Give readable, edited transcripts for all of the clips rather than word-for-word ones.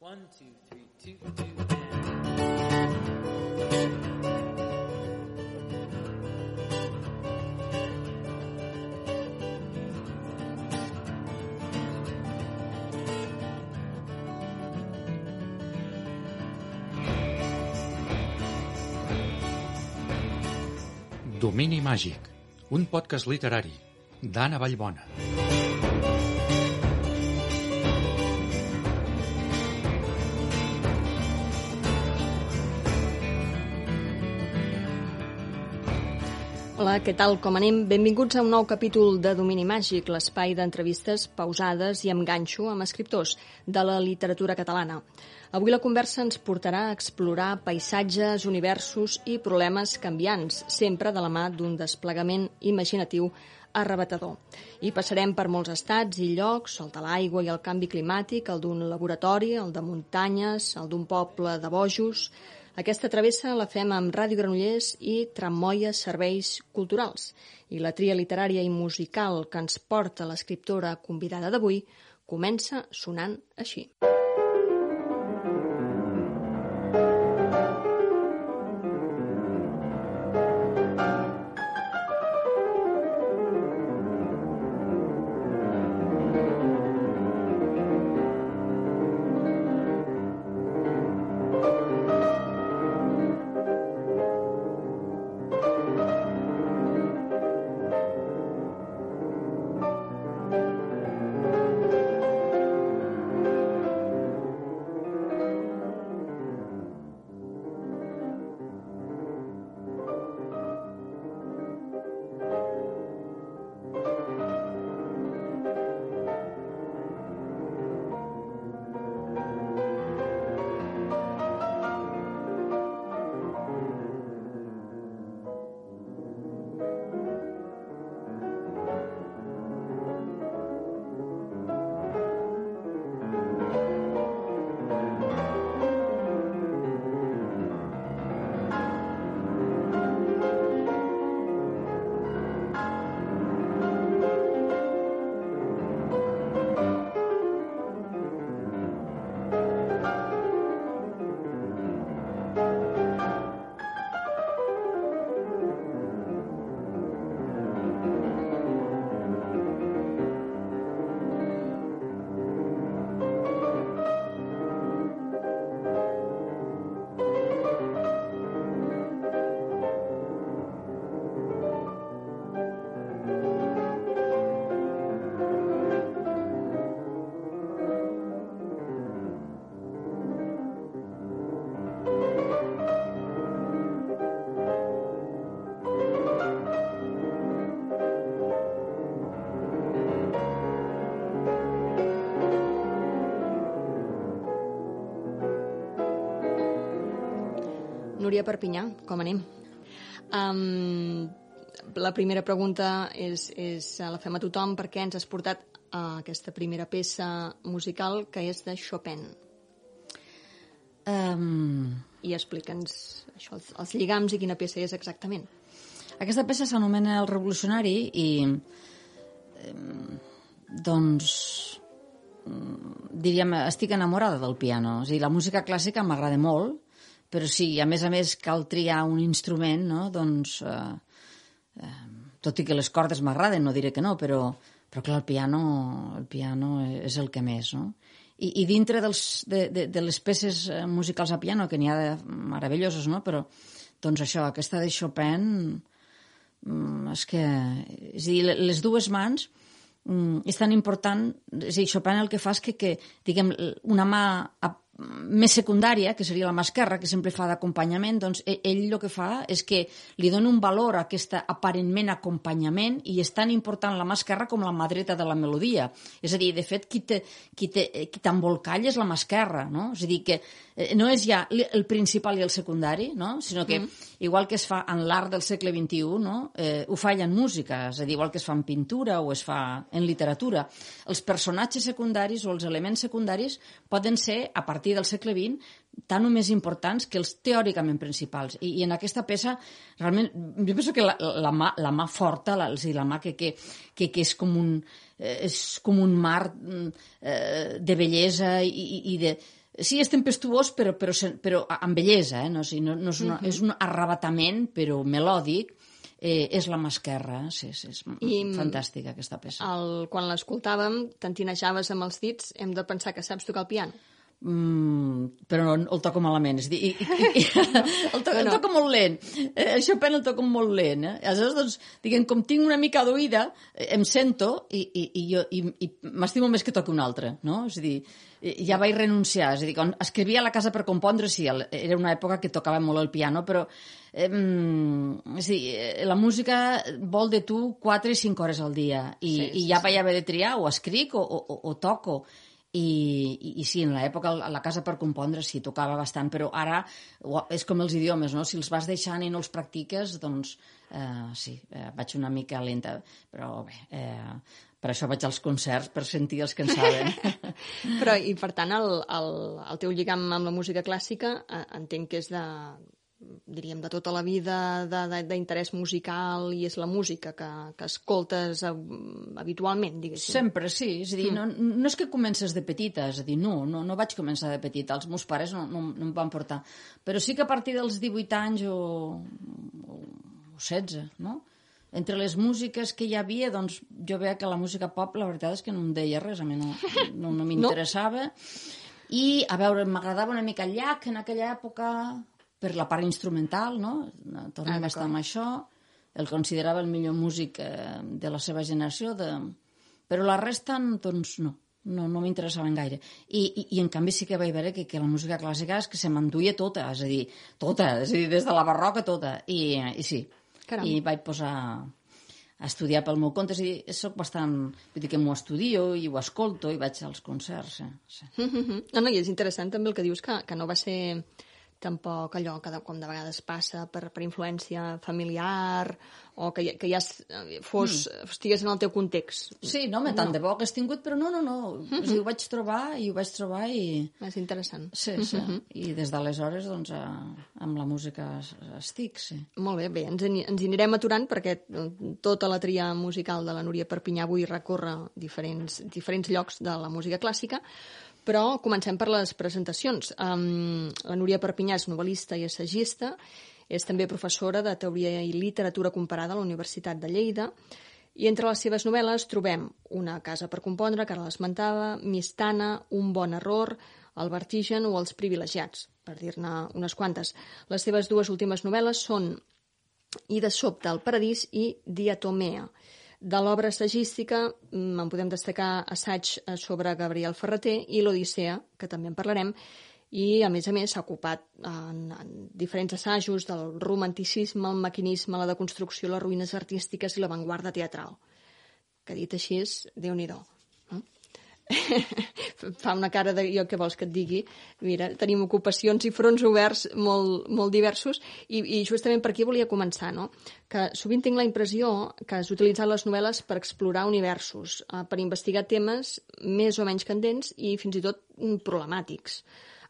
1, 2, 3, 2, 2, and... Domini Màgic, un podcast literari d'Anna Vallbona. Hola, què tal? Com anem? Benvinguts a un nou capítol de Domini Màgic, l'espai d'entrevistes pausades i amb ganxo amb escriptors de la literatura catalana. Avui la conversa ens portarà a explorar paisatges, universos i problemes canviants, sempre de la mà d'un desplegament imaginatiu arrebatador. I passarem per molts estats i llocs, el de l'aigua i el canvi climàtic, el d'un laboratori, el de muntanyes, el d'un poble de bojos. Aquesta travessa la fem amb Ràdio Granollers i Trammoia Serveis Culturals. I la tria literària i musical que ens porta l'escriptora convidada d'avui comença sonant així. Núria Perpinyà, com anem? La primera pregunta la fem a tothom perquè ens has portat a aquesta primera peça musical que és de Chopin. I explica'ns això, els lligams i quina peça és exactament. Aquesta peça s'anomena El Revolucionari i diríem, estic enamorada del piano. O sigui, la música clàssica m'agrada molt, però sí, a més cal triar un instrument, no? Doncs, tot i que les cordes m'agraden, no diré que no, però clar, el piano és el que més, no? I dintre de les peces musicals a piano, que n'hi ha de meravelloses, no? Però, doncs això, aquesta de Chopin, és a dir, les dues mans és tan important, és a dir, Chopin el que fa és que diguem, una mà més secundària, que seria la mà esquerra, que sempre fa d'acompanyament, doncs ell el que fa és que li dona un valor a aquest aparentment acompanyament i és tan important la mà esquerra com la mà dreta de la melodia. És a dir, de fet, qui t'embolcalla és la mà esquerra, no? És a dir, que no és ja el principal i el secundari, no? Sinó que, igual que es fa en l'art del segle XXI, no? Ho fa en música, és a dir, igual que es fa en pintura o es fa en literatura. Els personatges secundaris o els elements secundaris poden ser, a partir del segle XX, tan o més importants que els teòricament principals. I en aquesta peça, realment, jo penso que la mà forta, la mà que és com un mar de bellesa i de Sí, és tempestuós, però amb bellesa, no? O sigui, no és, és un arrabatament, però melòdic. És la mà esquerra, sí, és fantàstica aquesta peça. Quan l'escoltàvem, t'entinejaves amb els dits, hem de pensar que saps tocar el piano. Però el toco malament, és a dir, el toco molt lent. El Chopin el toco molt lent. Aleshores, doncs, diguem, com tinc una mica d'oïda, em sento i m'estimo més que toqui un altre, no? És a dir, ja vaig renunciar. És a dir, quan escrivia a la casa per compondre, sí, era una època que tocava molt el piano, però és a dir, la música vol de tu 4 i 5 hores al dia i ja vaig haver de triar, o escric o toco. I sí, en l'època a la casa per compondre sí, tocava bastant, però ara és com els idiomes, no? Si els vas deixant i no els practiques, doncs sí, vaig una mica lenta, però bé, per això vaig als concerts, per sentir els que en saben. Però, i per tant, el teu lligam amb la música clàssica entenc que és diríem, de tota la vida d'interès musical, i és la música que escoltes habitualment, diguéssim. Sempre, sí. És a dir, no és que comences de petita, és a dir, no vaig començar de petita. Els meus pares no em van portar. Però sí que a partir dels 18 anys o 16, no? Entre les músiques que hi havia, doncs, jo veia que la música pop, la veritat és que no em deia res, a mi no m'interessava. I, a veure, m'agradava una mica el Llach en aquella època, per la part instrumental, no? Tornem a estar amb això. El considerava el millor músic de la seva generació, però la resta, doncs, no m'interessaven gaire. I en canvi sí que vaig veure que la música clàssica és que se m'enduia tota, és a dir, des de la barroca tota. I sí, Caram. I vaig posar a estudiar pel meu compte, és a dir, soc bastant... Vull dir que m'ho estudio i ho escolto i vaig als concerts, sí. No, i és interessant també el que dius, que no va ser tampoc allò que com de vegades passa per influència familiar o que ja estigués en el teu context. Sí, no, tant de bo que has tingut, però no. O sigui, ho vaig trobar i... És interessant. Sí. I des d'aleshores, doncs, amb la música estic, sí. Molt bé, ens hi anirem aturant perquè tota la tria musical de la Núria Perpinyà avui recorre diferents llocs de la música clàssica, però comencem per les presentacions. La Núria Perpinyà és novel·lista i assagista, és també professora de Teoria i Literatura Comparada a la Universitat de Lleida, i entre les seves novel·les trobem Una casa per compondre, que ara l'esmentava, Mistana, Un bon error, El vertigen o Els privilegiats, per dir-ne unes quantes. Les seves dues últimes novel·les són I de sobte al paradís i Diatomea. De l'obra assagística en podem destacar assaig sobre Gabriel Ferrater i l'Odissea, que també en parlarem, i a més s'ha ocupat en diferents assajos del romanticisme, el maquinisme, la deconstrucció, les ruïnes artístiques i l'avantguarda teatral. Que dit així és Déu-n'hi-do. Fa una cara de jo què vols que et digui. Mira, tenim ocupacions i fronts oberts molt diversos i justament per aquí volia començar, no? Que sovint tinc la impressió que has utilitzat les novel·les per explorar universos, per investigar temes més o menys candents i fins i tot problemàtics.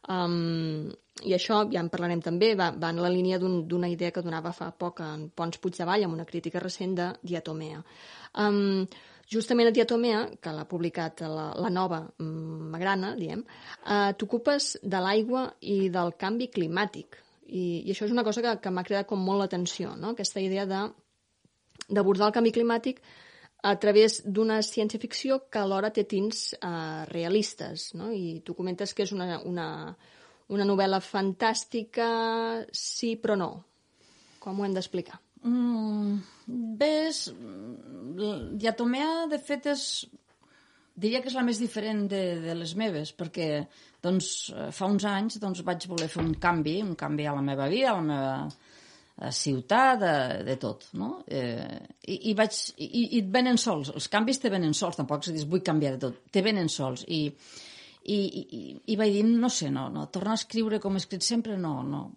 I això, ja en parlarem també, va en la línia d'una idea que donava fa poc en Pons Puigdevall amb una crítica recent de Diatomea. Justament a Diatomea, que l'ha publicat la nova Magrana, diem, t'ocupes de l'aigua i del canvi climàtic. I això és una cosa que m'ha cridat com molt l'atenció, no? Aquesta idea d'abordar el canvi climàtic a través d'una ciència-ficció que alhora té tints realistes, no? I tu comentes que és una novel·la fantàstica, sí però no. Com ho hem d'explicar? Diatomea, de fet, diria que és la més diferent de les meves, perquè doncs, fa uns anys vaig voler fer un canvi a la meva vida, a la meva ciutat, de tot, no? I et venen sols, els canvis te venen sols, tampoc se dius vull canviar de tot, te venen sols, i vaig dir, no sé, no, tornar a escriure com he escrit sempre, no.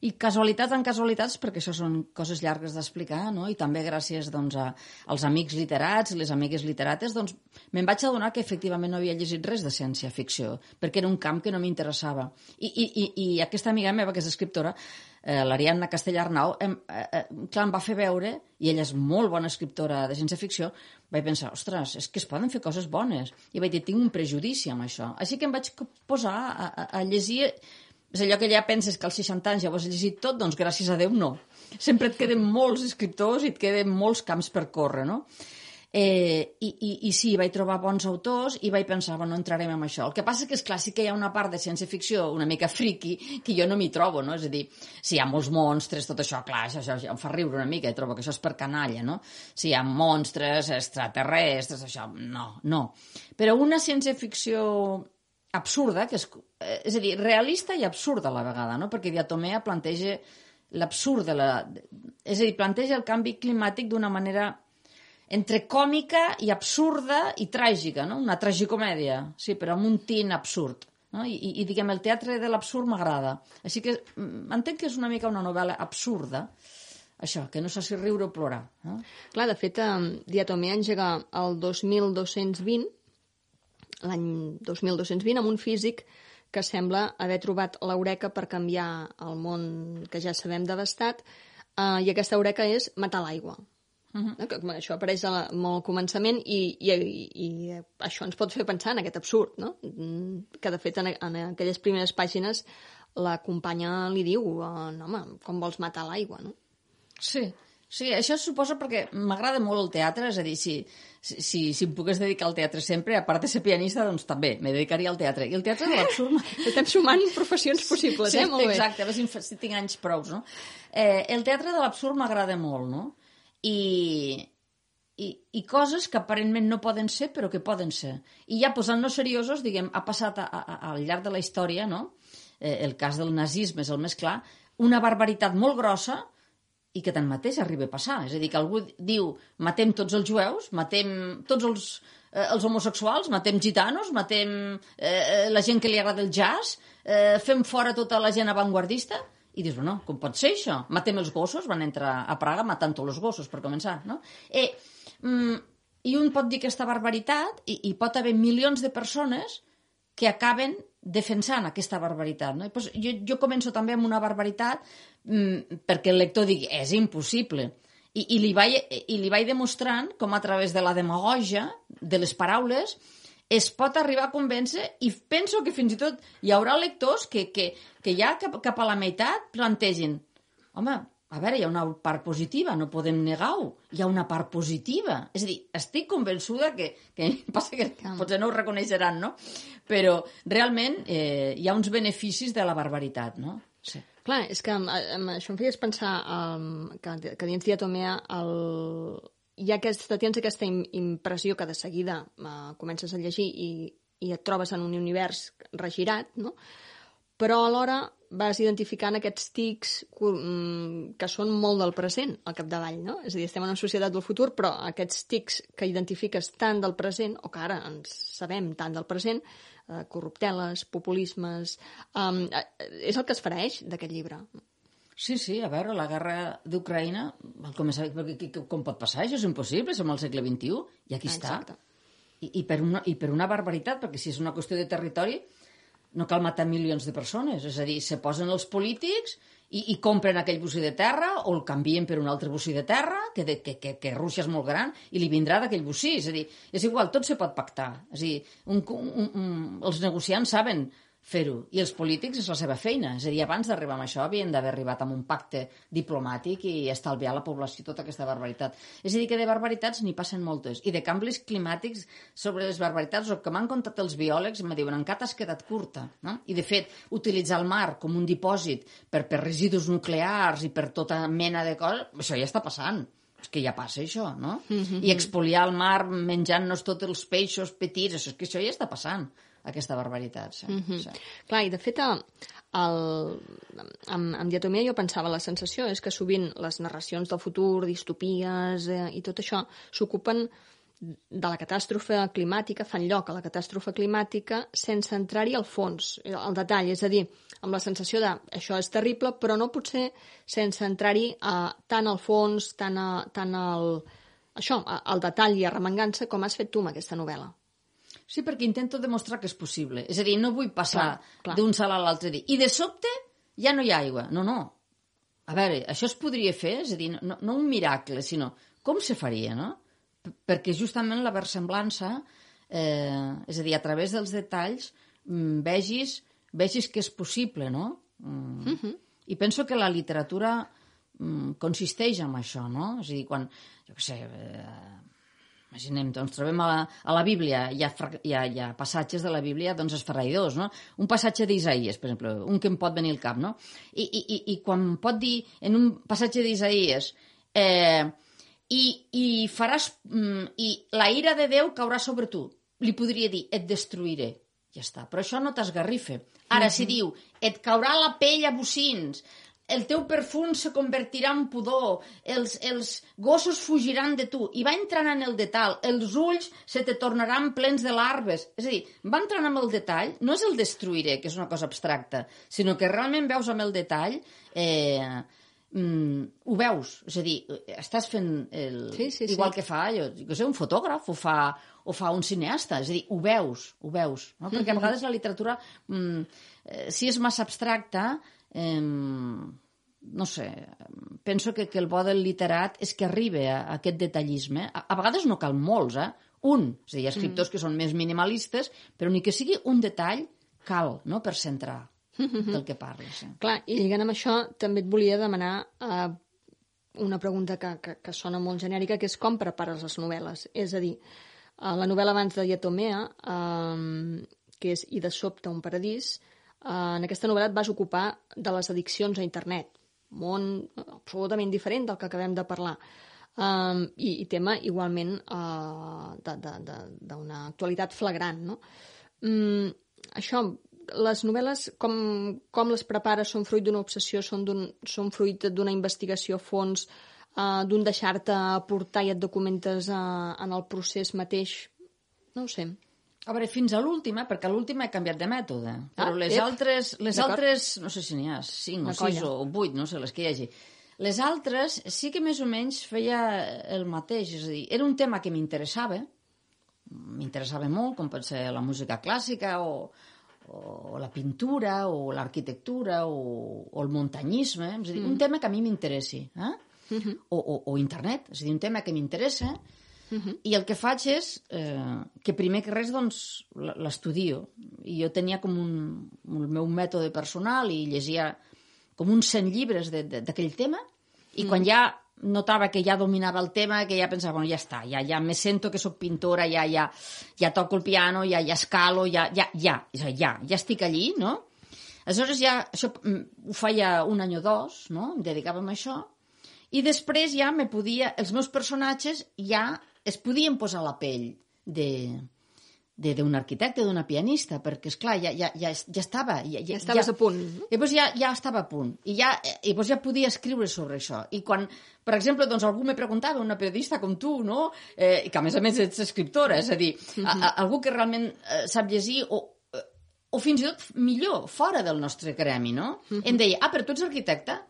I casualitats en casualitats, perquè això són coses llargues d'explicar, no? I també gràcies als amics literats i les amigues literates, doncs me'n vaig adonar que efectivament no havia llegit res de ciència-ficció, perquè era un camp que no m'interessava. I aquesta amiga meva, que és escriptora, l'Ariadna Castellarnau, clar, em va fer veure, i ella és molt bona escriptora de ciència-ficció, vaig pensar, ostres, és que es poden fer coses bones. I vaig dir, tinc un prejudici amb això. Així que em vaig posar a llegir. És allò que ja penses que als 60 anys ja ho has llegit tot, doncs gràcies a Déu no. Sempre et queden molts escriptors i et queden molts camps per córrer, no? I sí, vaig trobar bons autors i vaig pensar, bueno, entrarem en això. El que passa que, esclar, sí que hi ha una part de ciència-ficció una mica friqui que jo no m'hi trobo, no? És a dir, si hi ha molts monstres, tot això, clar, això ja em fa riure una mica, trobo que això és per canalla, no? Si hi ha monstres, extraterrestres, això, no. Però una ciència-ficció absurda, que és a dir, realista i absurda a la vegada, no? Perquè Diatomea planteja l'absurd és a dir, planteja el canvi climàtic d'una manera entre còmica i absurda i tràgica, no? Una tragicomèdia, sí, però amb un tint absurd. No? I diguem, el teatre de l'absurd m'agrada. Així que entenc que és una mica una novel·la absurda, això, que no sé si riure o plorar. No? Clar, de fet, Diatomea engega el 2220, l'any 2220, amb un físic que sembla haver trobat l'eureka per canviar el món que ja sabem devastat, i aquesta eureka és matar l'aigua. Això apareix molt al començament i això ens pot fer pensar en aquest absurd, no? Que de fet en aquelles primeres pàgines la companya li diu no, home, com vols matar l'aigua, no? Sí, això suposa perquè m'agrada molt el teatre, és a dir, si em pogués dedicar al teatre sempre, a part de ser pianista, doncs també me dedicaria al teatre. I el teatre de l'absurd... Estem sumant professions possibles, sí, molt bé. Exacte, a veure si tinc anys prous, no? El teatre de l'absurd m'agrada molt, no? I coses que aparentment no poden ser, però que poden ser. I ja posant-nos seriosos, diguem, ha passat al llarg de la història, no? El cas del nazisme és el més clar, una barbaritat molt grossa i que tanmateix arriba a passar. És a dir, que algú diu, matem tots els jueus, matem tots els homosexuals, matem gitanos, matem la gent que li agrada el jazz, fem fora tota la gent avantguardista. I dius, bueno, com pot ser això? Matem els gossos, van entrar a Praga matant tots els gossos, per començar, no? I un pot dir aquesta barbaritat i pot haver milions de persones que acaben defensant aquesta barbaritat, no? I doncs jo començo també amb una barbaritat perquè el lector digui, és impossible. I li vaig demostrant com a través de la demagogia, de les paraules, es pot arribar a convèncer, i penso que fins i tot hi haurà lectors que ja cap a la meitat plantegin, home, a veure, hi ha una part positiva, no podem negar-ho, hi ha una part positiva. És a dir, estic convençuda que passa que potser no ho reconeixeran, no? Però realment hi ha uns beneficis de la barbaritat, no? Sí. Clar, és que això em feies pensar que dins Diatomea tens aquesta impressió que de seguida comences a llegir i et trobes en un univers regirat, no? Però alhora vas identificant aquests tics que són molt del present al capdavall, no? És a dir, estem en una societat del futur, però aquests tics que identifiques tant del present, o que ara ens sabem tant del present, corrupteles, populismes, és el que es fereix d'aquest llibre. Sí, a veure, la guerra d'Ucraïna, com pot passar? Això és impossible, som al segle XXI, i aquí està. I per una barbaritat, perquè si és una qüestió de territori, no cal matar milions de persones. És a dir, se posen els polítics i compren aquell bocí de terra o el canvien per un altre bocí de terra, que Rússia és molt gran, i li vindrà d'aquell bocí. És a dir, és igual, tot se pot pactar. És a dir, els negociants saben fer-ho, i els polítics és la seva feina. És a dir, abans d'arribar a això havien d'haver arribat amb un pacte diplomàtic i estalviar a la població tota aquesta barbaritat. És a dir, que de barbaritats n'hi passen moltes, i de canvis climàtics sobre les barbaritats, el que m'han contat els biòlegs em diuen, encara t'has quedat curta, no? I de fet, utilitzar el mar com un dipòsit per residus nuclears i per tota mena de coses, això ja està passant. És que ja passa això, no? I expoliar el mar menjant-nos tots els peixos petits, és que això ja està passant, aquesta barbaritat. Sí. Clar, i de fet amb Diatomea jo pensava, la sensació és que sovint les narracions del futur, distopies i tot això s'ocupen de la catàstrofe climàtica, fan lloc a la catàstrofe climàtica sense entrar-hi al fons, al detall, és a dir, amb la sensació de això és terrible, però no potser sense entrar-hi tant al fons, tant al detall i arremangant-se com has fet tu amb aquesta novel·la. Sí, perquè intento demostrar que és possible. És a dir, no vull passar d'un salt a l'altre dia. I de sobte ja no hi ha aigua. No. A veure, això es podria fer, és a dir, no un miracle, sinó com se faria, no? Perquè justament la versemblança, és a dir, a través dels detalls, vegis que és possible, no? I penso que la literatura consisteix en això, no? És a dir, quan, jo què sé, imaginem, doncs trobem a la Bíblia, hi ha passatges de la Bíblia doncs esfereïdors, no? Un passatge d'Isaïes, per exemple, un que em pot venir al cap, no? I quan pot dir en un passatge d'Isaïes i faràs i la ira de Déu caurà sobre tu, li podria dir, et destruiré, ja està, però això no t'esgarrifa. Ara, si diu, et caurà la pell a bocins, el teu perfum se convertirà en pudor, els gossos fugiran de tu, i va entrant en el detall, els ulls se te tornaran plens de larves. És a dir, va entrant en el detall, no és el destruiré, que és una cosa abstracta, sinó que realment veus amb el detall, ho veus, és a dir, estàs fent igual que fa, jo sé, un fotògraf, o fa un cineasta, és a dir, ho veus, no? Perquè a vegades la literatura, si és massa abstracta, no sé, penso que el bo del literat és que arriba a aquest detallisme. A vegades no cal molts, un. És a dir, hi ha escriptors que són més minimalistes, però ni que sigui un detall cal, no?, per centrar del que parles. Clar, i lligant amb això, també et volia demanar una pregunta que sona molt genèrica, que és com prepares les novel·les. És a dir, la novel·la abans de Diatomea, que és I de sobte un paradís, en aquesta novel·la et vas ocupar de les addiccions a internet, món absolutament diferent del que acabem de parlar, i tema igualment d'una actualitat flagrant, no? Això, les novel·les, com les prepares? Són fruit d'una obsessió, són fruit d'una investigació a fons, d'un deixar-te portar i et documentes en el procés mateix? No ho sé. A veure, fins a l'última, perquè a l'última he canviat de mètode, però les altres, no sé si n'hi ha 5 o 6 o 8, no sé, les que hi hagi. Les altres sí que més o menys feia el mateix, és a dir, era un tema que m'interessava molt, com pot ser la música clàssica o la pintura o l'arquitectura o el muntanyisme, és a dir, un tema que a mi m'interessi, o internet, és a dir, un tema que m'interessa. I el que faig és que primer que res doncs l'estudio. I jo tenia com el meu mètode personal i llegia com uns 100 llibres d'aquell tema, i quan ja notava que ja dominava el tema, que ja pensava, bueno, ja està, ja me sento que sóc pintora, ja toco el piano, ja escalo, ja estic allí, no? Aleshores ja això ho feia 1 any o 2, no? Em dedicava a això, i després ja els meus personatges ja es podien posar a la pell d'un arquitecte, d'una pianista, perquè, esclar, ja estava... Ja estaves a punt. I llavors ja estava a punt. I llavors ja podia escriure sobre això. I quan, per exemple, doncs, algú me preguntava, una periodista com tu, no?, i que a més ets escriptora, és a dir, algú que realment sap llegir o fins i tot millor, fora del nostre gremi, no? Em deia, però tu ets arquitecta?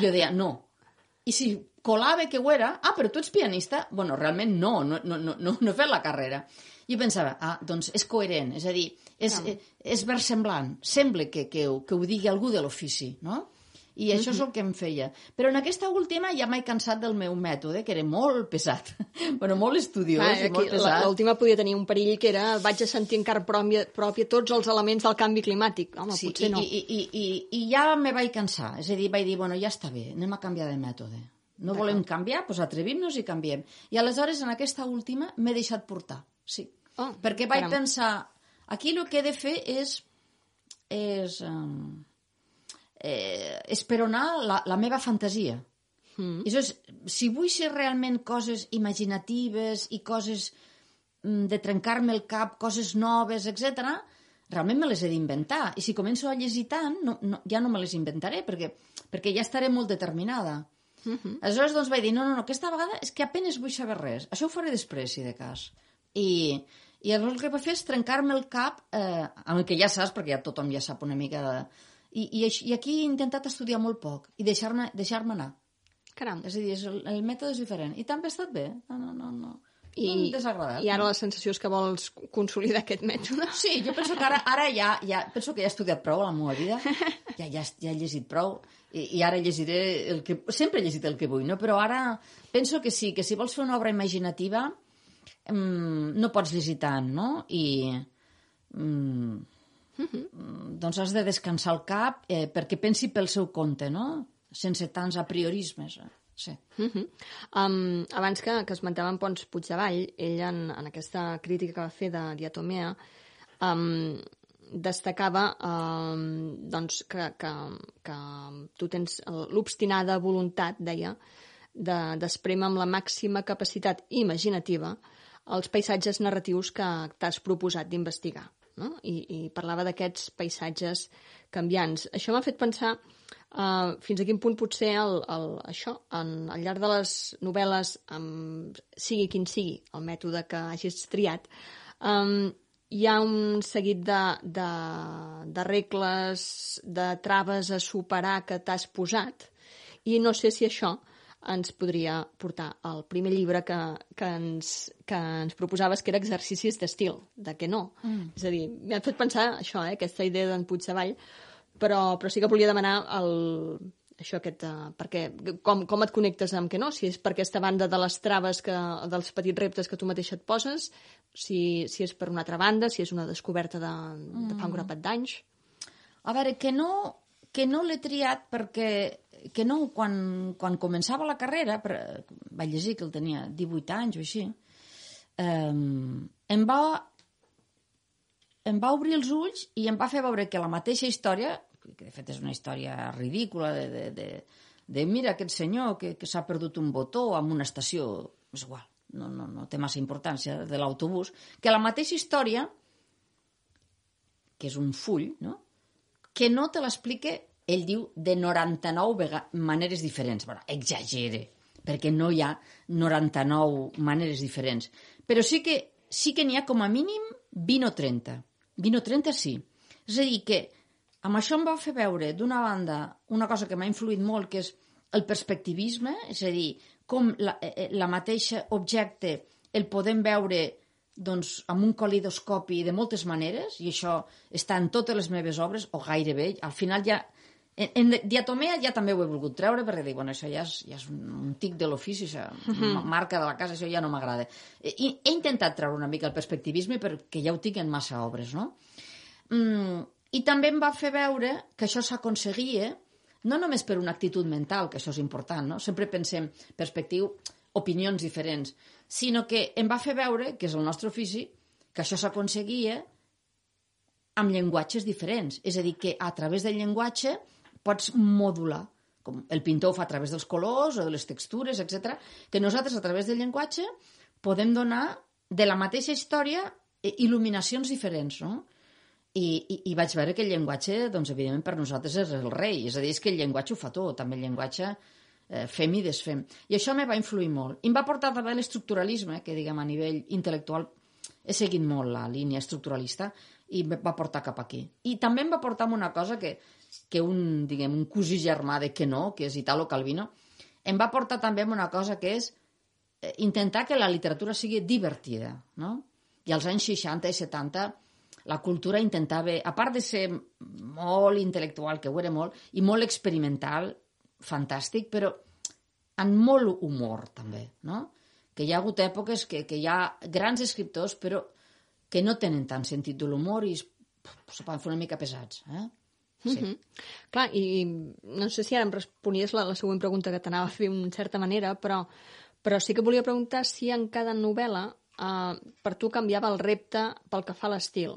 Jo deia, no. I si colava que ho era, però tu ets pianista? Bueno, realment no he fet la carrera. I jo pensava, doncs és coherent, és a dir, és versemblant, sembla que ho digui algú de l'ofici, no? I això és el que em feia. Però en aquesta última ja m'he cansat del meu mètode, que era molt pesat, bueno, molt estudiós i molt pesat. L'última podia tenir un perill que era vaig a sentir en carn pròpia tots els elements del canvi climàtic. Home, sí, potser no. I ja me vaig cansar, és a dir, vaig dir, bueno, ja està bé, anem a canviar de mètode. No volem canviar, doncs atrevim-nos i canviem. I aleshores, en aquesta última, m'he deixat portar, sí. Perquè vaig pensar, aquí el que he de fer és esperonar la meva fantasia. Aleshores, si vull ser realment coses imaginatives i coses de trencar-me el cap, coses noves, etc., realment me les he d'inventar. I si començo a llegir tant, ja no me les inventaré, perquè ja estaré molt determinada. Aleshores, doncs, vaig dir, no, aquesta vegada és que apenas vull saber res. Això ho faré després, si de cas. I llavors el que vaig fer és trencar-me el cap, amb el que ja saps, perquè ja tothom ja sap una mica I aquí he intentat estudiar molt poc i deixar-me anar. Caram. És a dir, el mètode és diferent. I també ha estat bé. No. desagradat. I ara la sensació és que vols consolidar aquest mètode? Sí, jo penso que ara ja penso que ja he estudiat prou a la meva vida, ja he llegit prou, i ara llegiré el que... Sempre he llegit el que vull, no? Però ara penso que sí, que si vols fer una obra imaginativa no pots llegir tant, no? I doncs has de descansar el cap perquè pensi pel seu compte, no? Sense tants apriorismes. Sí. Abans que esmentàvem Pons Puigdevall, ell en aquesta crítica que va fer de Diatomea destacava doncs que tu tens l'obstinada voluntat, deia, d'esprémer amb la màxima capacitat imaginativa els paisatges narratius que t'has proposat d'investigar, no? I parlava d'aquests paisatges canviants. Això m'ha fet pensar fins a quin punt potser això, al llarg de les novel·les, sigui quin sigui el mètode que hagis triat, hi ha un seguit de regles, de traves a superar que t'has posat, i no sé si això ens podria portar al primer llibre que ens proposaves, que era Exercicis d'estil, de què no. És a dir, m'ha fet pensar això, aquesta idea d'en Puigdevall, però sí que volia demanar com et connectes amb què no, si és per aquesta banda de les traves, dels petits reptes que tu mateixa et poses, si és per una altra banda, si és una descoberta de fa un grapat d'anys. A veure, que no l'he triat perquè que no, quan començava la carrera, vaig llegir que el tenia 18 anys o així, em va obrir els ulls i em va fer veure que la mateixa història, que de fet és una història ridícula, de mira aquest senyor que s'ha perdut un botó en una estació, és igual, no té massa importància, de l'autobús, que la mateixa història, que és un full, no? Que no te l'explica, ell diu, de 99 maneres diferents. Bueno, exagere, perquè no hi ha 99 maneres diferents. Però sí que n'hi ha com a mínim 20 o 30. 20 o 30 sí. És a dir, que amb això em va fer veure, d'una banda, una cosa que m'ha influït molt, que és el perspectivisme, és a dir, com la mateixa objecte el podem veure doncs, amb un calidoscopi de moltes maneres, i això està en totes les meves obres, o gairebé. Al final ja... En Diatomea ja també ho he volgut treure, perquè dic, bueno, això ja és un tic de l'ofici, això, marca de la casa, això ja no m'agrada. He intentat treure una mica el perspectivisme perquè ja ho tinc en massa obres, no? I també em va fer veure que això s'aconseguia, no només per una actitud mental, que això és important, no? Sempre pensem perspectiu, opinions diferents, sinó que em va fer veure, que és el nostre ofici, que això s'aconseguia amb llenguatges diferents. És a dir, que a través del llenguatge pots modular, com el pintor ho fa a través dels colors o de les textures, etc. Que nosaltres, a través del llenguatge, podem donar de la mateixa història il·luminacions diferents, no? I vaig veure que el llenguatge, doncs, evidentment, per nosaltres és el rei. És a dir, és que el llenguatge ho fa tot, també el llenguatge fem i desfem. I això me va influir molt. I em va portar també l'estructuralisme, que, diguem, a nivell intel·lectual he seguit molt la línia estructuralista, i em va portar cap aquí. I també em va portar amb una cosa que un cosí germà de que no, que és Italo Calvino, em va portar també amb una cosa que és intentar que la literatura sigui divertida, no? I als anys 60 i 70 la cultura intentava, a part de ser molt intel·lectual, que ho era molt, i molt experimental, fantàstic, però amb molt humor també, no? Que hi ha hagut èpoques que hi ha grans escriptors, però que no tenen tant sentit de l'humor i se poden fer una mica pesats. Sí. Clar, i no sé si ara em responies la següent pregunta que t'anava a fer en certa manera, però sí que volia preguntar si en cada novel·la per tu canviava el repte pel que fa a l'estil.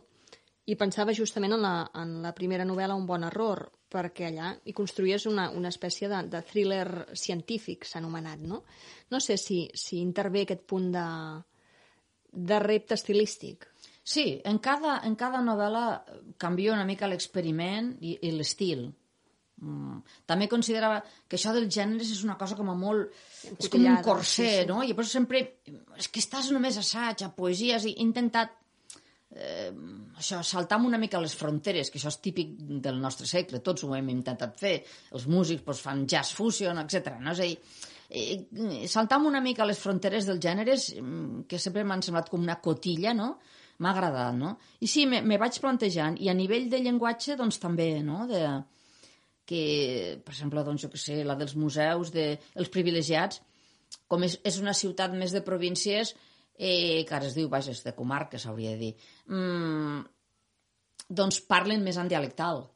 I pensava justament en la primera novel·la Un bon error, perquè allà hi construïes una espècie de thriller científic, s'ha anomenat, no? No sé si intervé aquest punt de repte estilístic. Sí, en cada novel·la canvia una mica l'experiment i l'estil. També considerava que això dels gèneres és una cosa com a molt... És com un corset, no? I llavors sempre... És que estàs només a assaig, a poesies, i he intentat això, saltar una mica les fronteres, que això és típic del nostre segle, tots ho hem intentat fer. Els músics fan jazz fusion, etc. No? És a dir, saltam una mica les fronteres dels gèneres, que sempre m'han semblat com una cotilla, no? M'ha agradat, no? I sí, me vaig plantejant, i a nivell de llenguatge, doncs també, no? Que, per exemple, doncs, jo què sé, la dels museus, els privilegiats, com és una ciutat més de províncies, que ara es diu, vaja, és de comarca, s'hauria de dir, doncs parlen més en dialectal.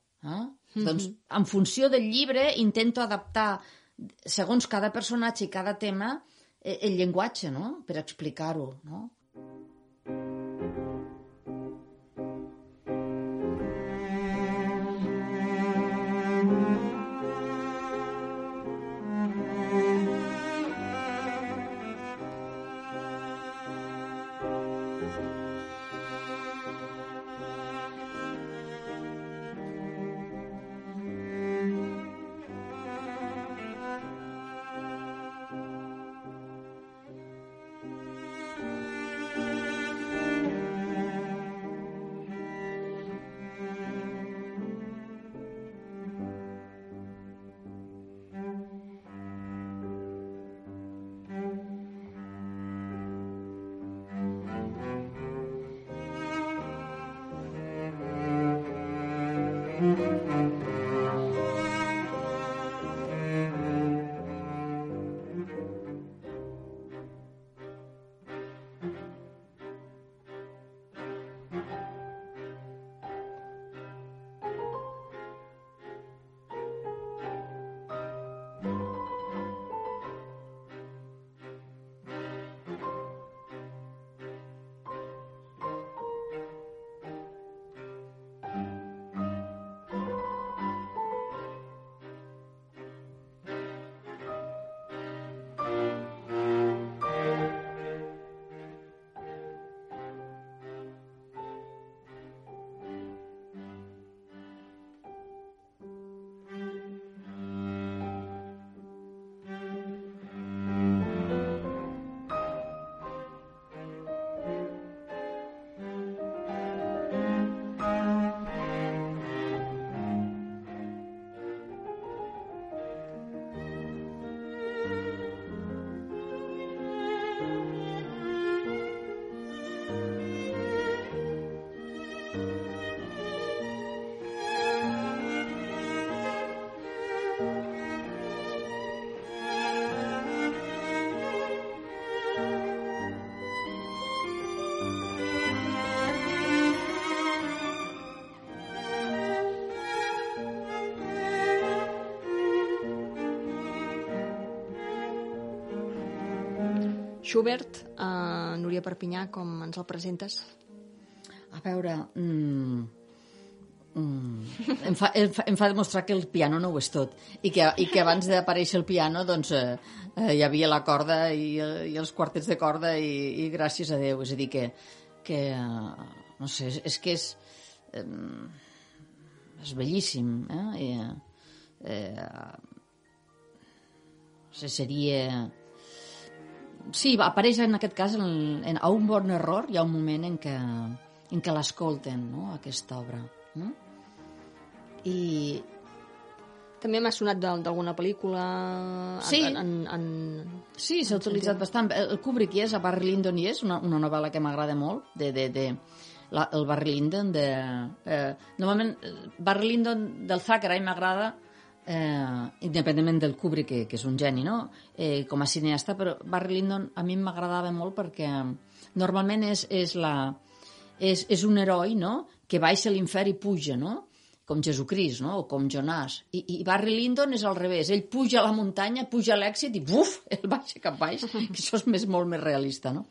Doncs, en funció del llibre, intento adaptar, segons cada personatge i cada tema, el llenguatge, no?, per explicar-ho, no? Schubert, Núria Perpinyà, com ens el presentes? A veure, em fa demostrar que el piano no ho és tot i que abans d'aparèixer el piano doncs, hi havia la corda i els quartets de corda i gràcies a Déu, és a dir que no sé, és que és bellíssim, no sé, seria... Sí, apareix en aquest cas a un bon error, hi ha un moment en què l'escolten, no?, aquesta obra. No? I també m'ha sonat d'alguna pel·lícula. Sí, sí, s'ha utilitzat bastant. El Kubrick hi és, a Barry Lyndon hi és, una novel·la que m'agrada molt, el Barry Lyndon. Normalment, Barry Lyndon del Thackeray m'agrada, independentment del Kubrick, que és un geni, no?, com a cineasta, però Barry Lyndon a mi m'agradava molt perquè normalment és un heroi, no?, que baixa a l'infern i puja, no?, com Jesucrist, no?, o com Jonàs. I Barry Lyndon és al revés, ell puja a la muntanya, puja a l'èxit i buf, ell baixa cap baix, que això és molt més realista, no?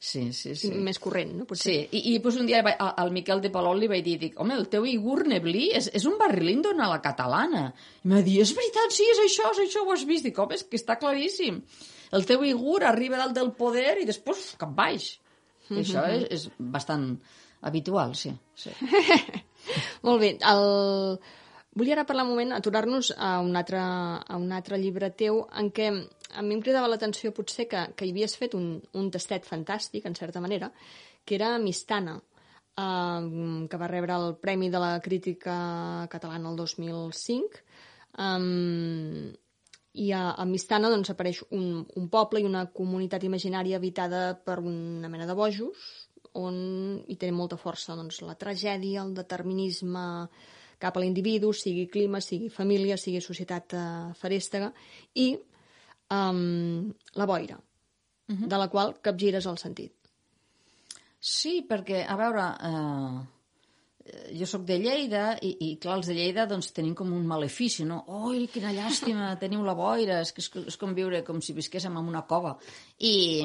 Sí. Més corrent, no? Potser. Sí, i doncs un dia al Miquel de Palol li vaig dir, home, el teu Igur Neblí és un Barry Lyndon a la catalana. I em va dir, és veritat, sí, és això, ho has vist. Dic, home, és que està claríssim. El teu Igur arriba dalt del poder i després cap baix. I això és bastant habitual, sí. Molt bé. Volia ara parlar un moment, aturar-nos a un altre llibre teu en què a mi em cridava l'atenció potser que hi havies fet un tastet fantàstic, en certa manera, que era Mistana, que va rebre el Premi de la Crítica Catalana el 2005, I a Mistana doncs, apareix un poble i una comunitat imaginària habitada per una mena de bojos, on hi té molta força doncs, la tragèdia, el determinisme cap a l'individu, sigui clima, sigui família, sigui societat ferèstega, i la boira, de la qual capgires el sentit. Sí, perquè, a veure, jo sóc de Lleida i clar, els de Lleida doncs, tenim com un malefici, no? Oi, quina llàstima, teniu la boira, és com viure com si visquéssim en una cova. I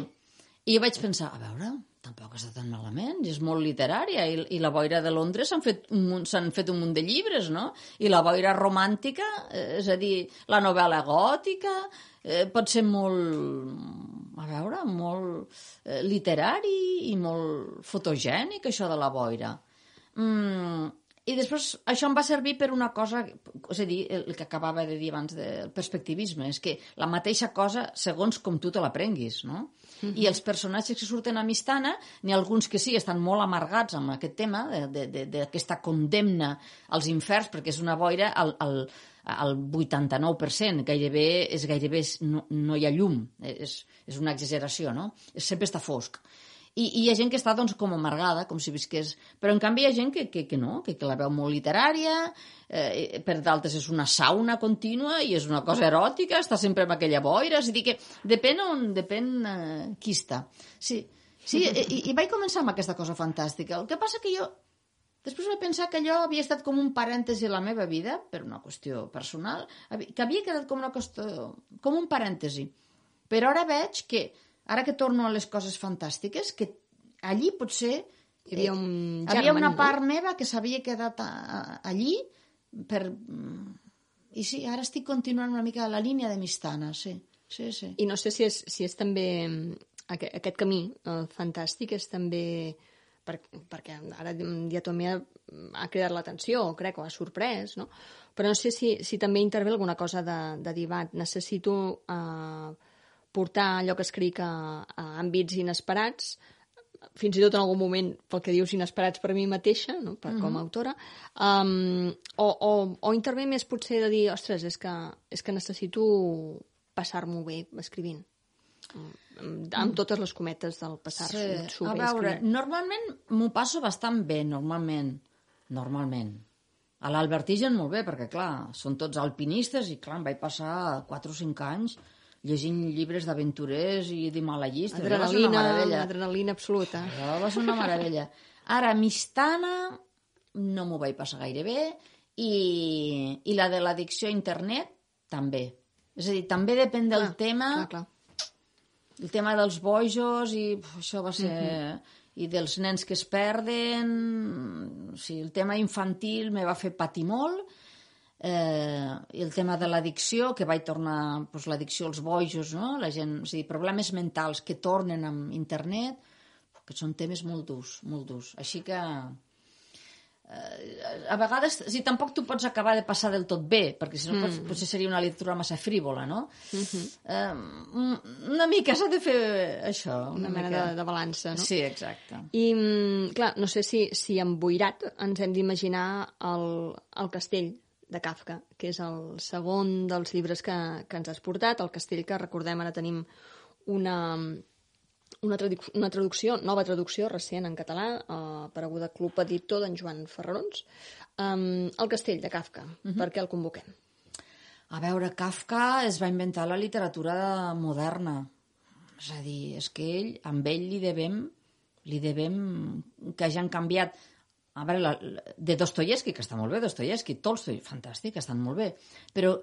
jo vaig pensar, a veure, tampoc està tan malament, és molt literària, i la boira de Londres s'han fet un munt de llibres, no? I la boira romàntica, és a dir, la novel·la gòtica, pot ser molt, a veure, molt literari i molt fotogènic, això de la boira. I després això em va servir per una cosa, és a dir, el que acabava de dir abans del perspectivisme, és que la mateixa cosa segons com tu te l'aprenguis, no? I els personatges que surten a Mistana, n'hi ha alguns que sí, estan molt amargats amb aquest tema d'aquesta condemna als inferns, perquè és una boira al 89%, gairebé no hi ha llum, és una exageració, no? Sempre està fosc. I hi ha gent que està doncs, com amargada, com si visqués... Però en canvi hi ha gent que no, que la veu molt literària, per d'altres és una sauna contínua i és una cosa eròtica, està sempre amb aquella boira, és a dir que depèn qui està. Sí, i vaig començar amb aquesta cosa fantàstica. El que passa que jo després vaig pensar que allò havia estat com un parèntesi a la meva vida, per una qüestió personal, que havia quedat com una qüestió, com un parèntesi. Però ara veig que ara que torno a les coses fantàstiques, que allí potser hi havia una part meva que s'havia quedat allí i sí, ara estic continuant una mica la línia de Mistana, sí. I no sé si és també aquest camí fantàstic és també perquè ara diatomia ha cridat l'atenció, crec, o ha sorprès, no? Però no sé si també intervé alguna cosa de dir, va, necessito portar allò que escric a àmbits inesperats, fins i tot en algun moment, pel que dius, inesperats per mi mateixa, no? Com a autora, o intervé més potser de dir, ostres, és que necessito passar-m'ho bé escrivint, amb totes les cometes del passar-s'ho bé escrivint. A veure, normalment m'ho passo bastant bé, normalment. A l'Albertigen molt bé, perquè clar, són tots alpinistes i clar, em vaig passar 4 o 5 anys llegint llibres d'aventurers i d'himalayistes. Adrenalina absoluta. Això va ser una meravella. Ara, Mistana no m'ho vaig passar gaire bé i la de l'addicció a internet també. És a dir, també depèn del tema. Clar. El tema dels bojos i això va ser... I dels nens que es perden... O sigui, el tema infantil me va fer patir molt. I el tema de l'addicció, que vaig tornar l'addicció als bojos, no? La gent, o sigui, problemes mentals que tornen amb internet, que són temes molt durs. Així que a vegades, tampoc tu pots acabar de passar del tot bé, perquè si no potser seria una literatura massa frívola, no? Una mica s'ha de fer això. Una mena de balança, no? Sí, exacte. I, clar, no sé si amb Boirat ens hem d'imaginar el castell de Kafka, que és el segon dels llibres que ens has portat, el castell que, recordem, ara tenim una traducció, nova traducció recent en català, apareguda Club Editor d'en Joan Ferrarons, el castell de Kafka. Per què el convoquem? A veure, Kafka es va inventar la literatura moderna. És a dir, és que amb ell li devem que hagin canviat. A veure, de Dostoyevsky, que està molt bé, Dostoyevsky, Tolstoi, fantàstic, estan molt bé, però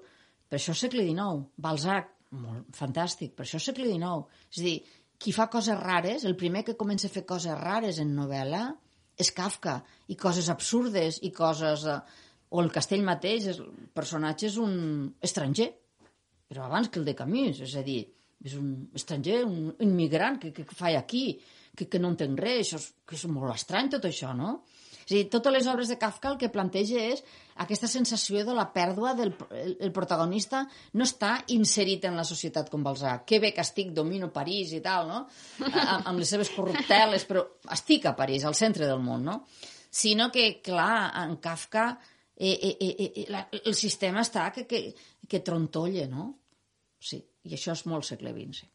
per això és segle XIX, Balzac, molt fantàstic, per això és segle XIX. És a dir, qui fa coses rares, el primer que comença a fer coses rares en novel·la és Kafka, i coses absurdes, i coses... O el castell mateix, el personatge és un estranger, però abans que el de Camus, és a dir, és un estranger, un immigrant que fa aquí, que no entenc res, que és molt estrany tot això, no? És a dir, totes les obres de Kafka el que planteja és aquesta sensació de la pèrdua el protagonista no està inserit en la societat com Balzac. Que bé que estic, domino París i tal, no? Amb les seves corrupteles, però estic a París, al centre del món, no? Sinó que, clar, en Kafka el sistema està que trontolla, no? sí. I això és molt segle XX, sí.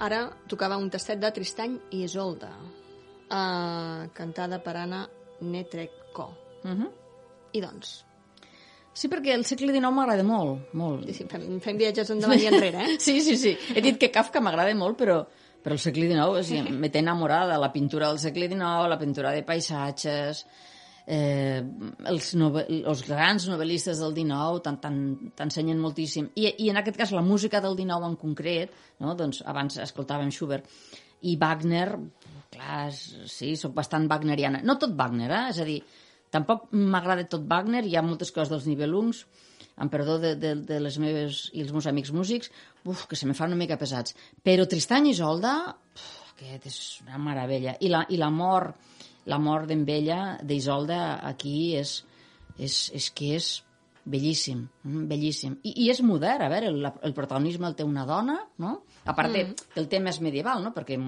Ara tocava un tastet de Tristany i Isolda, cantada per Anna Netrebko. I doncs? Sí, perquè el segle XIX m'agrada molt, molt. Sí, fem viatges endavant i enrere, eh? Sí. He dit que Kafka m'agrada molt, però el segle XIX, m'he enamorada. La pintura del segle XIX, la pintura de paisatges, els grans novel·listes del XIX t'ensenyen moltíssim. I en aquest cas la música del XIX en concret, no? Doncs abans escoltàvem Schubert i Wagner, clar, sí, soc bastant wagneriana. No tot Wagner, és a dir, tampoc m'agrada tot Wagner, hi ha moltes coses dels Nibelungs, amb perdó de les meves i els meus amics músics, que se me fan una mica pesats. Però Tristany i Isolda, aquest és una meravella. I l'amor d'en Bella, d'Isolda, aquí és bellíssim, bellíssim. I és modern, a veure, el protagonisme el té una dona, no? A part que el tema és medieval, no? Perquè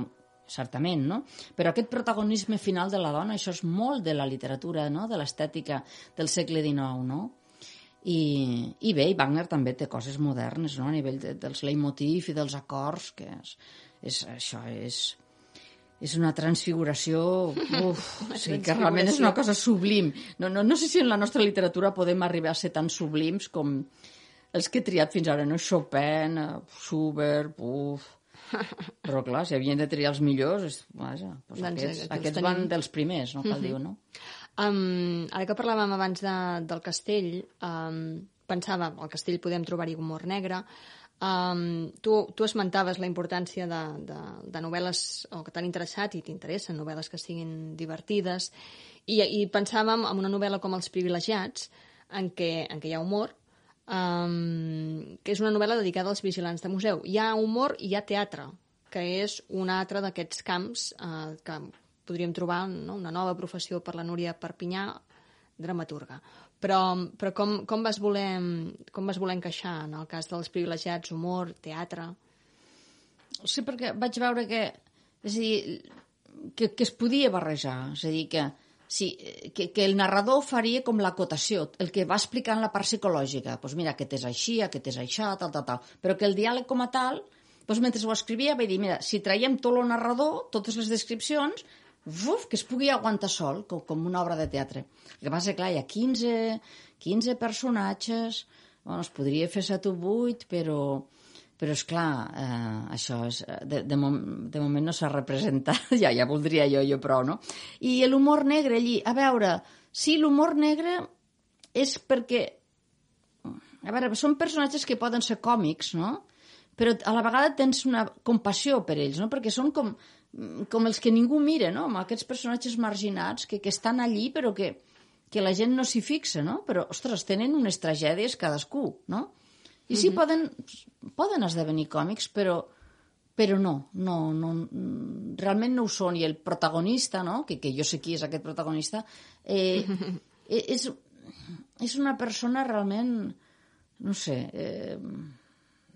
certament, no? Però aquest protagonisme final de la dona, això és molt de la literatura, no? De l'estètica del segle XIX, no? I bé, i Wagner també té coses modernes, no? A nivell dels leitmotiv i dels acords, que això és una transfiguració, sí, que realment és una cosa sublim. No sé si en la nostra literatura podem arribar a ser tan sublims com els que he triat fins ara, no? Chopin, Schubert, però clar, si havien de triar els millors, vaja, aquests van dels primers, no cal dir, no? Ara que parlàvem abans del castell, pensava, al castell podem trobar-hi humor negre. Tu esmentaves la importància de novel·les que t'han interessat i t'interessen, novel·les que siguin divertides, i pensàvem en una novel·la com Els privilegiats, en què hi ha humor, que és una novel·la dedicada als vigilants de museu. Hi ha humor i hi ha teatre, que és un altre d'aquests camps que podríem trobar, no? Una nova professió per la Núria Perpinyà, dramaturga. Però com vas voler encaixar en el cas dels privilegiats, humor, teatre? Sí, perquè vaig veure que es podia barrejar, és a dir, que el narrador faria com l'acotació, el que va explicant la part psicològica. Doncs mira, aquest és així, aquest és això, tal. Però que el diàleg com a tal, doncs mentre ho escrivia vaig dir, mira, si traiem tot el narrador, totes les descripcions, que es pugui aguantar sol, com una obra de teatre. El que passa, clar, hi ha 15 personatges, bueno, es podria fer 7 o 8, però esclar, això és, de moment no s'ha representat, ja voldria jo prou, no? I l'humor negre allí, a veure, sí, l'humor negre és perquè A veure, són personatges que poden ser còmics, no? Però a la vegada tens una compassió per ells, no? Perquè són com els que ningú mira, no? Amb aquests personatges marginats que estan allí però que la gent no s'hi fixa, no? Però, ostres, tenen unes tragèdies cadascú, no? I sí, poden esdevenir còmics, però no, realment no ho són. I el protagonista, no? Que jo sé qui és aquest protagonista, és una persona realment, no sé,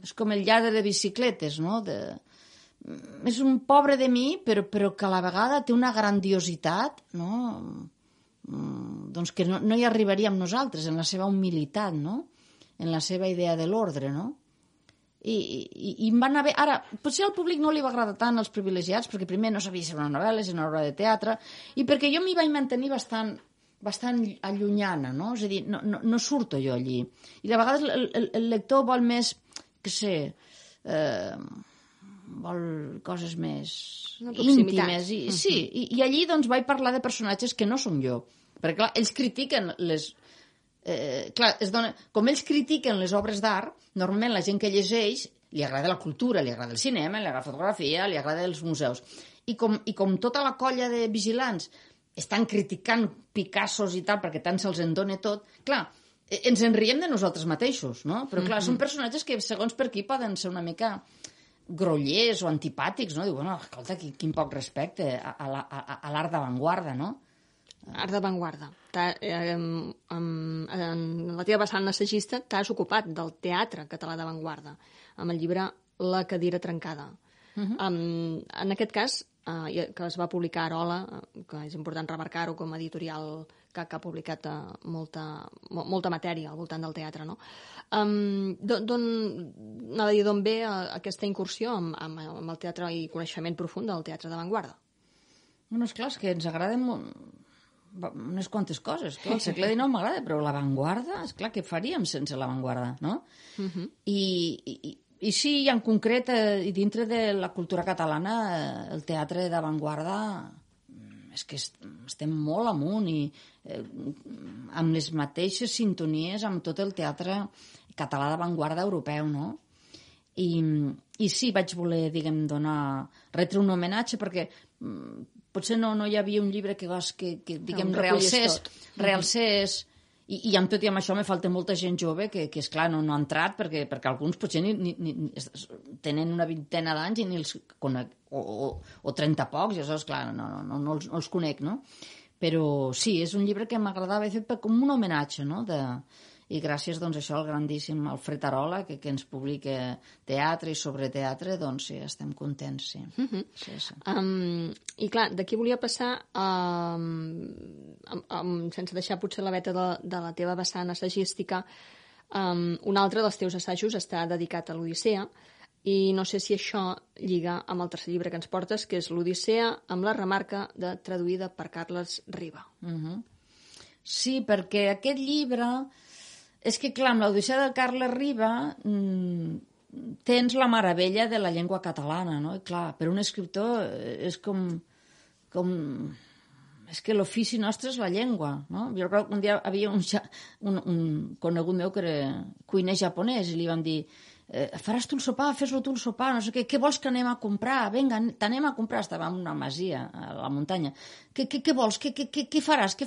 és com el lladre de bicicletes, no? És un pobre de mi, però que a la vegada té una grandiositat, no? Doncs que no hi arribaríem nosaltres, en la seva humilitat, no? En la seva idea de l'ordre, no? I em van haver... Ara, potser al públic no li va agradar tant els privilegiats, perquè primer no sabia si era una novel·la, si era una obra de teatre, i perquè jo m'hi vaig mantenir bastant allunyana, no? És a dir, no surto jo allí. I de vegades el lector vol més, què sé, vol coses més íntimes. I allí doncs vaig parlar de personatges que no som jo. Perquè, clar, ells critiquen les... com ells critiquen les obres d'art, normalment la gent que llegeix li agrada la cultura, li agrada el cinema, li agrada la fotografia, li agrada els museus. I com tota la colla de vigilants estan criticant Picassos i tal, perquè tant se'ls en dona tot, clar, ens en riem de nosaltres mateixos, no? Però clar, són personatges que segons per qui poden ser una mica grollers o antipàtics, no? Diu, bueno, escolta, quin poc respecte a l'art d'avantguarda, no? Art d'avantguarda. En la teva vessant assagista t'has ocupat del teatre català d'avantguarda, amb el llibre La cadira trencada. En aquest cas, que es va publicar a Arola, que és important remarcar-ho com a editorial que ha publicat molta matèria al voltant del teatre, no? D'on ve aquesta incursió amb el teatre i coneixement profund del teatre d'avantguarda? Bueno, esclar, és que ens agraden unes quantes coses. Clar, el segle XIX m'agrada, però l'avantguarda, esclar, què faríem sense l'avantguarda, no? I sí, en concret, i dintre de la cultura catalana, el teatre d'avantguarda és que estem molt amunt i amb les mateixes sintonies amb tot el teatre català d'avantguarda europeu, no? I sí, vaig voler, diguem, retre un homenatge perquè potser no hi havia un llibre que diguem, realcés i amb tot i amb això me falta molta gent jove que esclar, no ha entrat perquè alguns potser ni tenen una vintena d'anys i ni els conec, o 30 pocs, i això, esclar, no els conec, no? Però sí, és un llibre que m'agradava fer com un homenatge, no? I gràcies, doncs, això al grandíssim Alfred Arola, que ens publica teatre i sobre teatre, doncs sí, estem contents, sí. Sí. I clar, d'aquí volia passar, sense deixar potser la veta de la teva vessant assagística, un altre dels teus assajos està dedicat a l'Odissea, i no sé si això lliga amb el tercer llibre que ens portes, que és l'Odissea amb la remarca traduïda per Carles Riba. Sí, perquè aquest llibre... És que, clar, amb l'Odissea de Carles Riba tens la meravella de la llengua catalana, no? I, clar, per un escriptor és com... És que l'ofici nostre és la llengua, no? Jo recordo que un dia havia un conegut meu que era cuiner japonès i li van dir faràs tu el sopar, fes-lo tu el sopar, no sé què vols que anem a comprar? Vinga, t'anem a comprar. Estava en una masia a la muntanya. Què vols? Què faràs?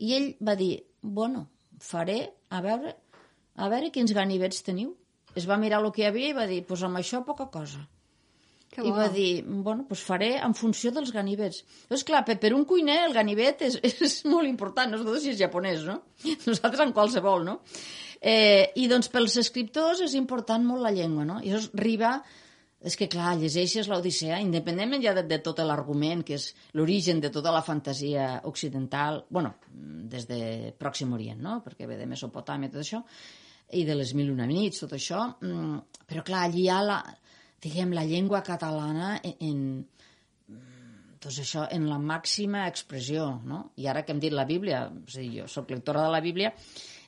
I ell va dir, bueno, faré, a veure quins ganivets teniu. Es va mirar el que hi havia i va dir, doncs amb això poca cosa. I va dir, bueno, doncs faré en funció dels ganivets. Doncs clar, per un cuiner el ganivet és molt important, no és si és japonès, no? Nosaltres en qualsevol, no? I doncs pels escriptors és important molt la llengua, no? I llavors Riba, és que clar, llegeixes l'Odissea, independentment ja de tot l'argument, que és l'origen de tota la fantasia occidental, bueno, des de Pròxim Orient, no? Perquè ve de Mesopotàmia, tot això, i de les Mil i una nits, tot això, però clar, allí hi ha la llengua catalana doncs això, en la màxima expressió, no? I ara que hem dit la Bíblia, és a dir, jo soc lectora de la Bíblia,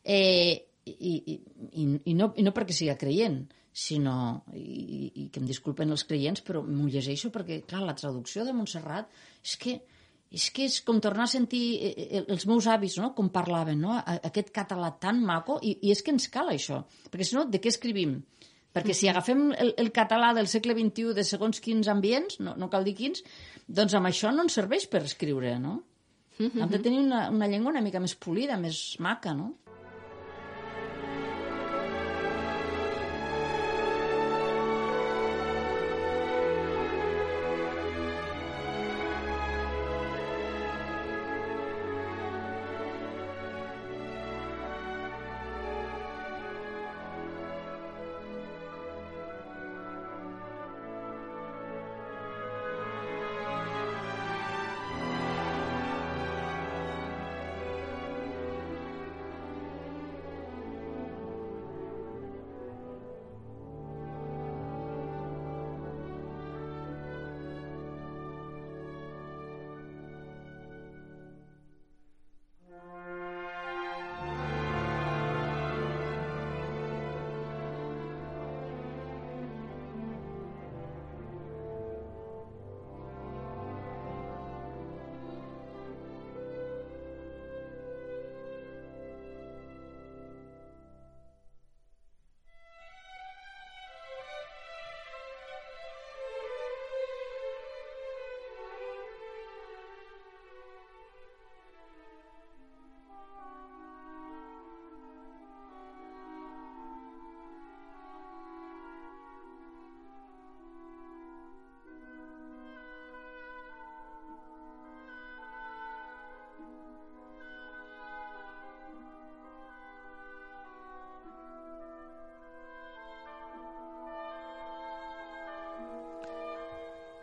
i no perquè siga creient, sinó, i que em disculpen els creients, però m'ho llegeixo perquè, clar, la traducció de Montserrat és que És que és com tornar a sentir els meus avis, no?, com parlaven, no?, aquest català tan maco, i és que ens cal això, perquè si no, de què escrivim? Perquè si agafem el català del segle XXI de segons quins ambients, no cal dir quins, doncs amb això no ens serveix per escriure, no? Hem de tenir una llengua una mica més polida, més maca, no?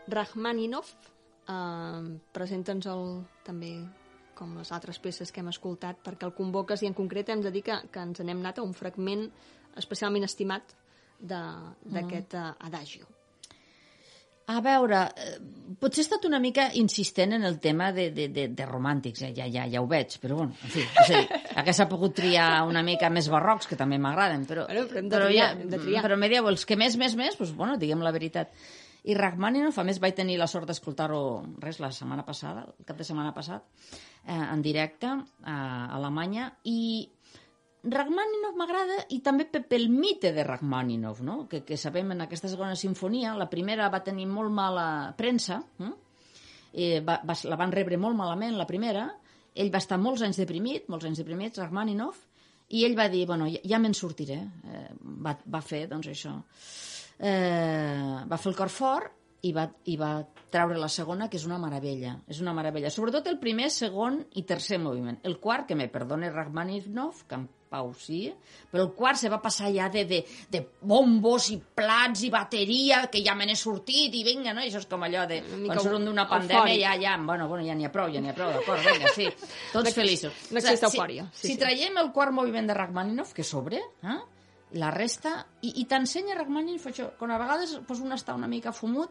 Rachmaninoff, presenta'ns també com les altres peces que hem escoltat, perquè el convoques i en concret hem de dir que ens n'hem anat a un fragment especialment estimat d'aquest adagio. A veure, potser he estat una mica insistent en el tema de romàntics, ja ho veig, però bueno, en fi, és a dir, que s'ha pogut triar una mica més barrocs, que també m'agraden, però hem de triar. Però me dieu, els que més, doncs, bueno, diguem la veritat. I Rachmaninoff, a més, vaig tenir la sort d'escoltar-ho la setmana passada, el cap de setmana passat, en directe a Alemanya, i Rachmaninoff m'agrada, i també pel mite de Rachmaninoff, no? Que sabem en aquesta segona sinfonia, la primera va tenir molt mala premsa, la van rebre molt malament, la primera, ell va estar molts anys deprimit, Rachmaninoff, i ell va dir, bueno, ja me'n sortiré, va fer, doncs, això. Va fer el cor fort i va treure la segona, que és una meravella. Sobretot el primer, segon i tercer moviment. El quart, que me perdone Rachmaninoff, que en pau sí, però el quart se va passar ja de bombos i plats i bateria, que ja me n'he sortit i vinga, no? I això és com allò de quan surten d'una pandèmia, ja n'hi ha prou, d'acord, vinga, sí, tots feliços. No existe eufòria. Si traiem el quart moviment de Rachmaninoff, que sobre, la resta, i t'ensenya Rachmaninoff això, quan a vegades un està una mica fumut,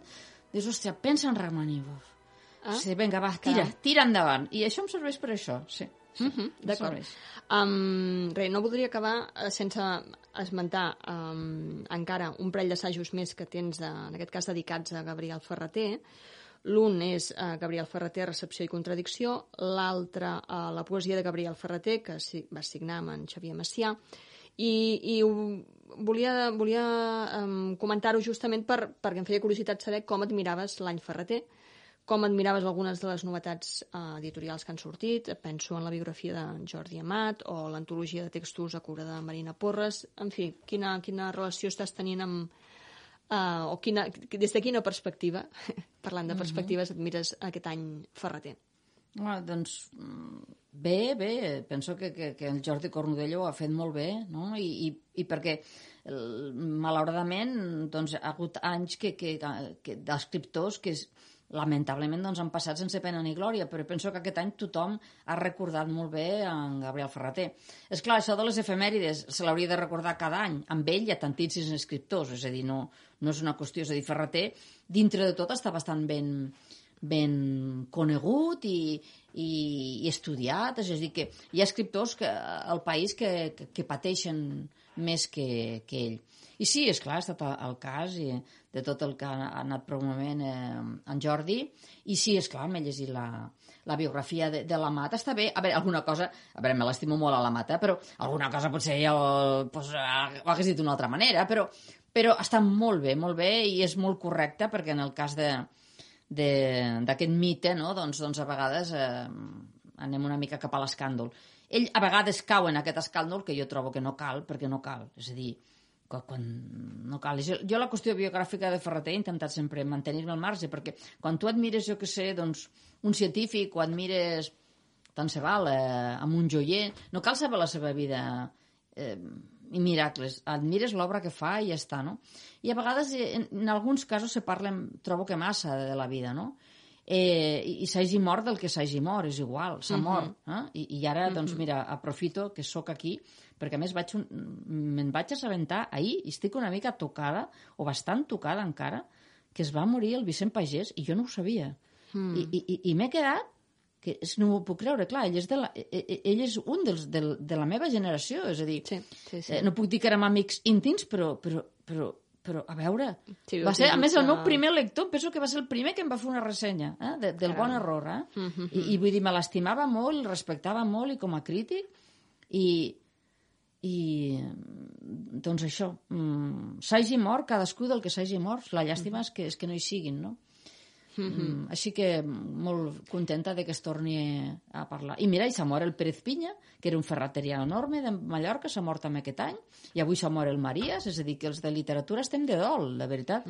dius, hòstia, pensa en Rachmaninoff. Sí, vinga, va, tira endavant. I això em serveix per això, sí. D'acord. No voldria acabar sense esmentar encara un parell d'assajos més que tens, en aquest cas dedicats a Gabriel Ferrater. L'un és Gabriel Ferrater, Recepció i Contradicció, l'altre la poesia de Gabriel Ferrater, que va signar amb en Xavier Macià, i volia comentar-ho justament perquè em feia curiositat saber com admiraves l'any Ferrater, com admiraves algunes de les novetats editorials que han sortit. Penso en la biografia de Jordi Amat o l'antologia de textos a cura de Marina Porres. En fi, quina relació estàs tenint amb... des de quina perspectiva, parlant de perspectives, admires aquest any Ferrater? Doncs bé, penso que el Jordi Cornudello ho ha fet molt bé, no? I perquè malauradament doncs, ha hagut anys d'escriptors que lamentablement han passat sense pena ni glòria, però penso que aquest any tothom ha recordat molt bé en Gabriel Ferrater. És clar, això de les efemèrides se l'hauria de recordar cada any. Amb ell hi ha tantíssims escriptors, és a dir, no és una qüestió. És a dir, Ferrater, dintre de tot, està bastant ben ben conegut i estudiat, és a dir, que hi ha escriptors al país que pateixen més que ell. I sí, esclar, ha estat el cas de tot el que ha anat promovent en Jordi, i sí, esclar, m'he llegit la biografia de l'Amat. Està bé, a veure, alguna cosa, a veure, me l'estimo molt a l'Amat, però alguna cosa potser ja ho hagués dit d'una altra manera, però està molt bé, i és molt correcte, perquè en el cas d'aquest mite, no? doncs a vegades anem una mica cap a l'escàndol. Ell a vegades cau en aquest escàndol que jo trobo que no cal, perquè no cal. És a dir, quan no cal. Jo la qüestió biogràfica de Ferreter he intentat sempre mantenir-me al marge, perquè quan tu admires, jo què sé, doncs, un científic, o admires, tant se val, amb un joier, no cal saber la seva vida i miracles, admires l'obra que fa i ja està, no? I a vegades, en alguns casos, se parla, trobo que massa de la vida, no? I s'hagi mort del que s'hagi mort, és igual, s'ha mort. I ara, doncs, mira, aprofito que sóc aquí, perquè a més me'n vaig assabentar ahir, i estic una mica tocada, o bastant tocada encara, que es va morir el Vicent Pagès, i jo no ho sabia. I m'he quedat, que no m'ho puc creure, clar, ell és un de la meva generació, és a dir, no puc dir que érem amics íntims, però a veure, va ser, a més, el meu primer lector, penso que va ser el primer que em va fer una ressenya del Bon Error, i vull dir, me l'estimava molt, el respectava molt, i com a crític, i doncs això, s'hagi mort cadascú del que s'hagi mort, la llàstima és que no hi siguin, no? Així que molt contenta de que es torni a parlar. I mira, i s'ha mort el Pérez Piña, que era un ferreterià enorme de Mallorca, s'ha mort també aquest any, i avui s'ha mort el Marías, és a dir, que els de literatura estem de dol, de veritat.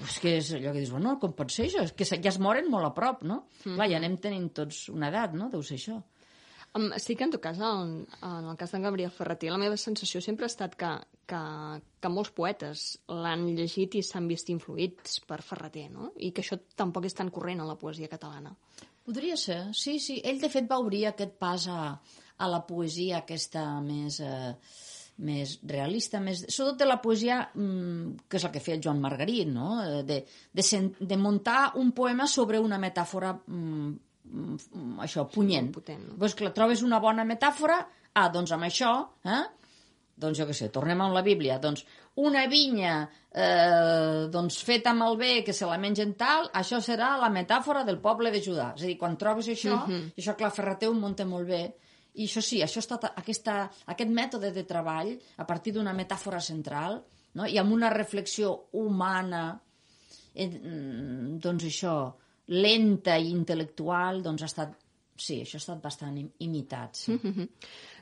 És que és allò que dius, bueno, com pot ser això? És que ja es moren molt a prop, no? Clar, ja anem tenint tots una edat, no? Deu ser això. Sí que en tot cas, en el cas d'en Gabriel Ferreter, la meva sensació sempre ha estat que molts poetes l'han llegit i s'han vist influïts per Ferreter, no? I que això tampoc és tan corrent a la poesia catalana. Podria ser, sí. Ell, de fet, va obrir aquest pas a la poesia aquesta més realista, sobretot de la poesia, que és el que feia el Joan Margarit, no? De muntar un poema sobre una metàfora això, punyent. Potent, no? Doncs clar, trobes una bona metàfora, doncs amb això, doncs jo què sé, tornem a la Bíblia, doncs una vinya doncs feta amb el bé que se la mengen tal, això serà la metàfora del poble de Judà. És a dir, quan trobes això, i això clar, Ferreter ho munta molt bé, i això sí, això ha estat aquest mètode de treball a partir d'una metàfora central, no? I amb una reflexió humana, doncs això, lenta i intel·lectual, doncs ha estat, sí, això ha estat bastant imitat, sí.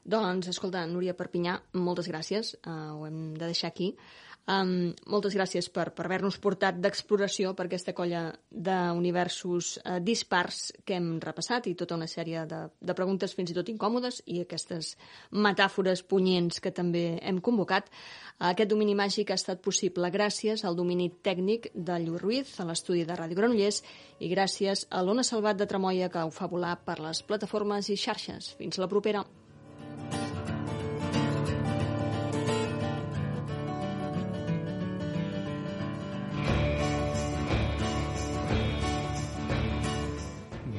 Doncs, escolta, Núria Perpinyà, moltes gràcies, ho hem de deixar aquí. Moltes gràcies per haver-nos portat d'exploració per aquesta colla d'universos dispars que hem repassat, i tota una sèrie de preguntes fins i tot incòmodes, i aquestes metàfores punyents que també hem convocat. Aquest domini màgic ha estat possible gràcies al domini tècnic de Lluís Ruiz, a l'estudi de Ràdio Granollers, i gràcies a l'Ona Salvat de Tremoia, que ho fa volar per les plataformes i xarxes. Fins la propera.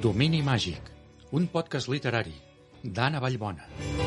Domini màgic, un podcast literari d'Anna Vallbona.